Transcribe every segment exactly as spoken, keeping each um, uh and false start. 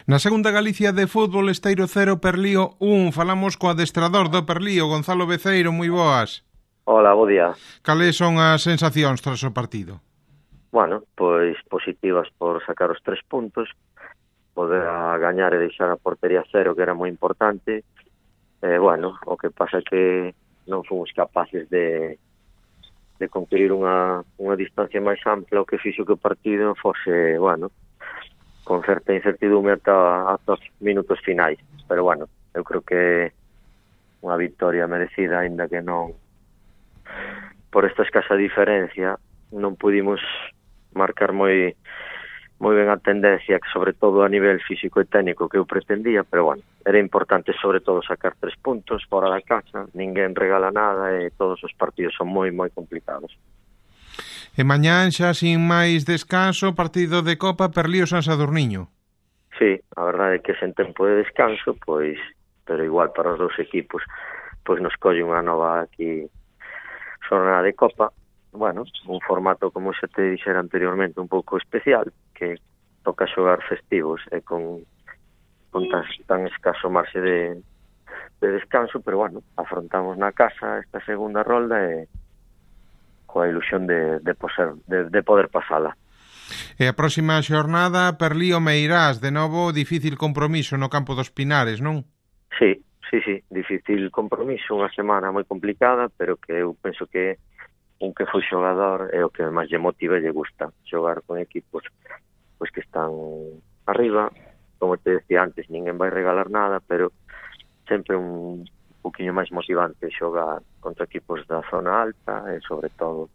Na segunda Galicia de fútbol, Esteiro cero, Perlío un. Falamos co adestrador do Perlío, Gonzalo Beceiro, moi boas. Hola, bo día. Cales son as sensacións tras o partido? Bueno, pois positivas por sacar os tres puntos, poder a gañar e deixar a portería cero, que era moi importante. Eh, bueno, o que pasa é que non fomos capaces de, de conquistar unha, unha distancia máis ampla, o que fixo que o partido fose, bueno, con certa incertidume ata, ata os minutos finais. Pero, bueno, eu creo que unha victoria merecida, aínda que non, por esta escasa diferencia, non pudimos marcar moi moi ben a tendencia, que sobre todo a nivel físico e técnico que eu pretendía, pero, bueno, era importante sobre todo sacar tres puntos fora da casa, ninguén regala nada e todos os partidos son moi, moi complicados. E mañán xa sin máis descanso, partido de Copa, Perlío San Sadurniño. Sí, a verdade é que sen tempo de descanso, pois, pero igual para os dous equipos, pois nos colle unha nova aquí xornada de Copa. Bueno, un formato, como xa te dixera anteriormente, un pouco especial, que toca xogar festivos e con, con tan, tan escaso marxe de, de descanso, pero, bueno, afrontamos na casa esta segunda rolda e coa ilusión de, de, poser, de, de poder pasala. E a próxima xornada, Perlío Meirás, de novo difícil compromiso no campo dos Pinares, non? Sí, sí, sí, difícil compromiso, unha semana moi complicada, pero que eu penso que un que foi xogador é o que máis lle motiva e lle gusta xogar con equipos pois que están arriba. Como te decía antes, ninguén vai regalar nada, pero sempre un poquinho máis motivante xogar contra equipos da zona alta e, sobre todo,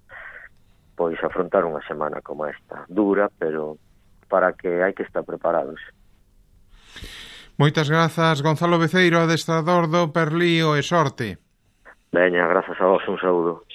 pois afrontar unha semana como esta, dura, pero para que hai que estar preparados. Moitas grazas, Gonzalo Beceiro, adestrador do Perlío, e sorte. Veña, grazas a vos, un saúdo.